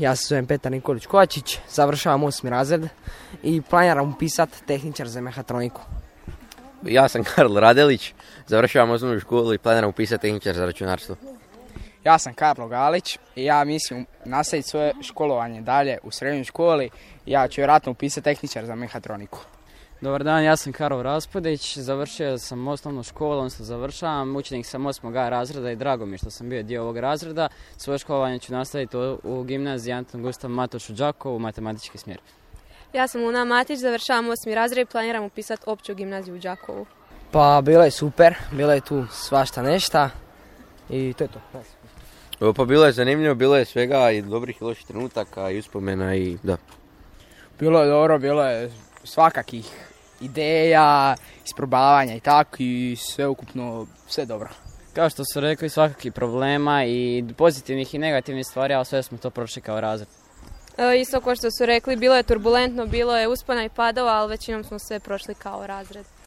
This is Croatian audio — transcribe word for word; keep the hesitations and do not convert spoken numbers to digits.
ja se zovem Petar Nikolić Kovačić, završavam osmi razred i planiram upisati tehničar za mehatroniku. Ja sam Karl Radelić, završavam osnovnu školu i planiram upisati tehničar za računarstvo. Ja sam Karlo Galić i ja mislim nastaviti svoje školovanje dalje u srednjoj školi. Ja ću vjerojatno upisati tehničar za mehatroniku. Dobar dan, ja sam Karol Raspodić, završio sam osnovnu školu, odnosno završavam, učenik sam osmog A razreda i drago mi je što sam bio dio ovog razreda. Svoje školovanje ću nastaviti u gimnaziji Anton Gustav Matoš u Đakovu, matematički smjer. Ja sam Luna Matić, završavam osmi razred i planiram upisati opću gimnaziju u Đakovu. Pa bilo je super, bilo je tu svašta nešta i to je to. Pa bilo je zanimljivo, bilo je svega i dobrih i loših trenutaka i uspomena i da. Bilo je dobro, bilo je svakakih ideja, isprobavanja i tako i sve ukupno sve dobro. Kao što su rekli, svakakih problema i pozitivnih i negativnih stvari, ali sve smo to prošli kao razred. E, isto kao što su rekli, bilo je turbulentno, bilo je uspona i padova, ali većinom smo sve prošli kao razred.